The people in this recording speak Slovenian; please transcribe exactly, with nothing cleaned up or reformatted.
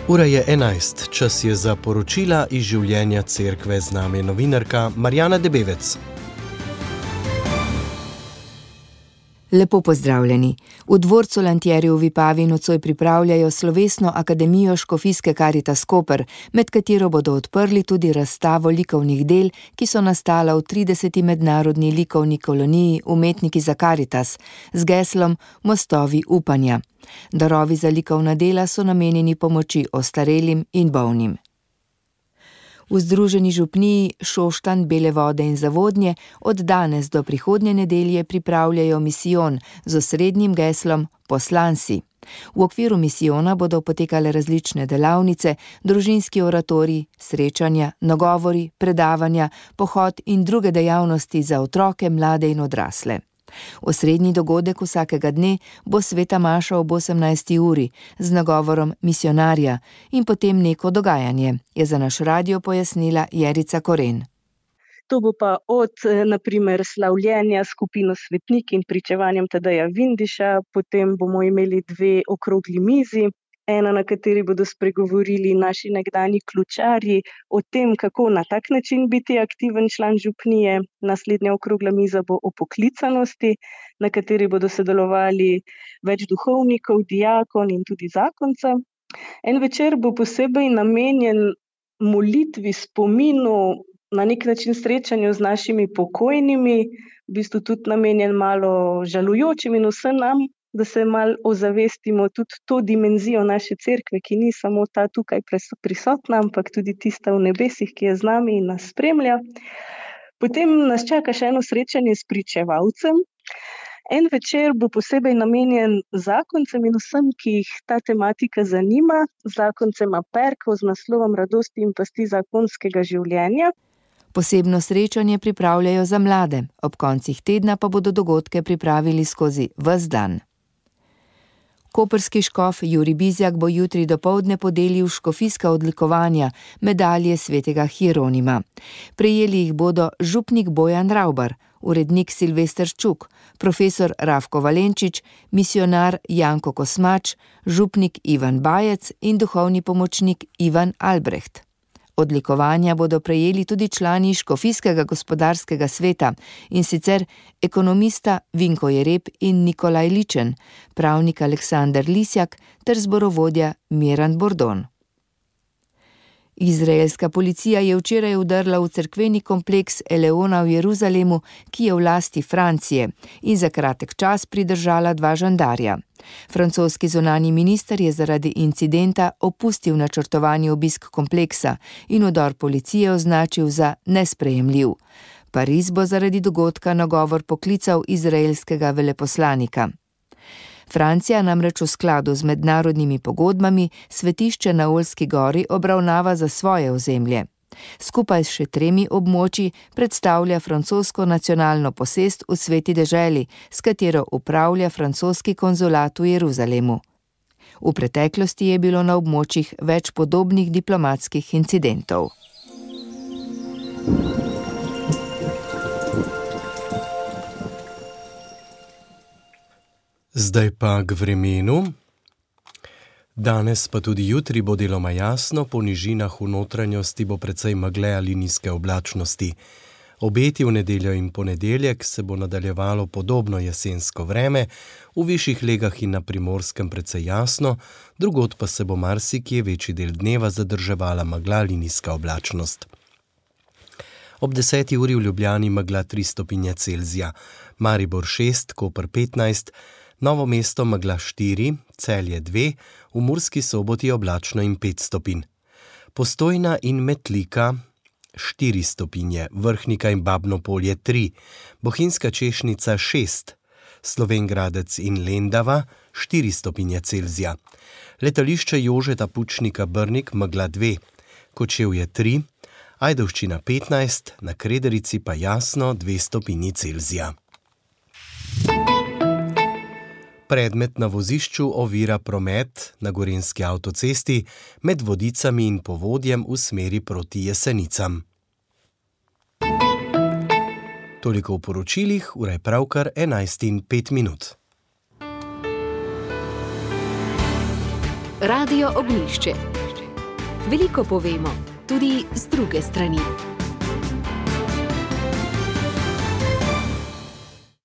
Ura je enajst, čas je za poročila iz življenja cerkve, z nami je novinarka Marjana Debevec. Lepo pozdravljeni. V dvorcu Lantjerjev v Vipavi nocoj pripravljajo slovesno akademijo Škofijske Karitas Koper, med katero bodo odprli tudi razstavo likovnih del, ki so nastala v trideseti mednarodni likovni koloniji Umetniki za Karitas, z geslom Mostovi upanja. Darovi za likovna dela so namenjeni pomoči ostarelim in bolnim. V Združeni župniji Šoštanj, Bele Vode in Zavodnje od danes do prihodnje nedelje pripravljajo misijon z osrednjim geslom Poslansi. V okviru misijona bodo potekale različne delavnice, družinski oratoriji, srečanja, nagovori, predavanja, pohod in druge dejavnosti za otroke, mlade in odrasle. Osrednji dogodek vsakega dne bo sveta maša ob osemnajsti uri z nagovorom misionarja in potem neko dogajanje, je za naš radio pojasnila Jerica Koren. To bo pa od, na primer, slavljenja skupino Svetnik in pričevanjem Tadeja Vindiša, potem bomo imeli dve okrogli mizi, ena, na kateri bodo spregovorili naši nekdanji ključarji o tem, kako na tak način biti aktiven član župnije. Naslednja okrogla miza bo o poklicanosti, na kateri bodo sodelovali več duhovnikov, dijakon in tudi zakonca. En večer bo posebej namenjen molitvi, spominu, na nek način srečanju z našimi pokojnimi, v bistvu tudi namenjen malo žalujočim in vsem nam, da se malo ozavestimo tudi to dimenzijo naše cerkve, ki ni samo ta tukaj prisotna, ampak tudi tista v nebesih, ki je z nami in nas spremlja. Potem nas čaka še eno srečanje s pričevalcem. En večer bo posebej namenjen zakoncem in vsem, ki jih ta tematika zanima, zakoncema Perkov z naslovom Radosti in pasti zakonskega življenja. Posebno srečanje pripravljajo za mlade, ob koncih tedna pa bodo dogodke pripravili skozi ves dan. Koprski škof Jurij Bizjak bo jutri dopoldne podelil škofijska odlikovanja, medalje svetega Hieronima. Prejeli jih bodo župnik Bojan Ravbar, urednik Silvester Čuk, profesor Rafko Valenčič, misionar Janko Kosmač, župnik Ivan Bajec in duhovni pomočnik Ivan Albreht. Odlikovanja bodo prejeli tudi člani Škofijskega gospodarskega sveta, in sicer ekonomista Vinko Jereb in Nikolaj Ličen, pravnik Aleksander Lisjak ter zborovodja Miran Bordon. Izraelska policija je včeraj vdrla v cerkveni kompleks Eleona v Jeruzalemu, ki je v lasti Francije, in za kratek čas pridržala dva žandarja. Francoski zunanji minister je zaradi incidenta opustil načrtovani obisk kompleksa in vdor policije označil za nesprejemljiv. Pariz bo zaradi dogodka nagovor poklical izraelskega veleposlanika. Francija namreč v skladu z mednarodnimi pogodbami svetišče na Oljski gori obravnava za svoje ozemlje. Skupaj s še tremi območji predstavlja francosko nacionalno posest v Sveti deželi, s katero upravlja francoski konzulat v Jeruzalemu. V preteklosti je bilo na območjih več podobnih diplomatskih incidentov. Zdaj pa k vremenu. Danes pa tudi jutri bo deloma jasno, po nižinah v notranjosti bo precej megle ali nizke oblačnosti. Obeti v nedeljo in ponedeljek se bo nadaljevalo podobno jesensko vreme, v višjih legah in na Primorskem precej jasno, drugod pa se bo marsikje večji del dneva zadrževala megla ali nizka oblačnost. Ob deseti uri v Ljubljani megla tri stopinje Celzija, Maribor šest, Koper petnajst, Novo mesto megla štiri, Celje dve, v Murski Soboti oblačno in pet stopinj. Postojna in Metlika štiri stopinje, Vrhnika in Babno Polje tri, Bohinjska Češnica šest, Slovenj Gradec in Lendava štiri stopinje Celzija. Letališče Jožeta Pučnika Brnik megla dve, Kočevje tri, Ajdovščina petnajst, na Krederici pa jasno dve stopinji Celzija. Predmet na vozišču ovira promet na Gorenjski avtocesti med Vodicami in Povodjem v smeri proti Jesenicam. Toliko v poročilih, ura je pravkar enajst in pet minut. Radio Ognjišče. Veliko povemo, tudi z druge strani.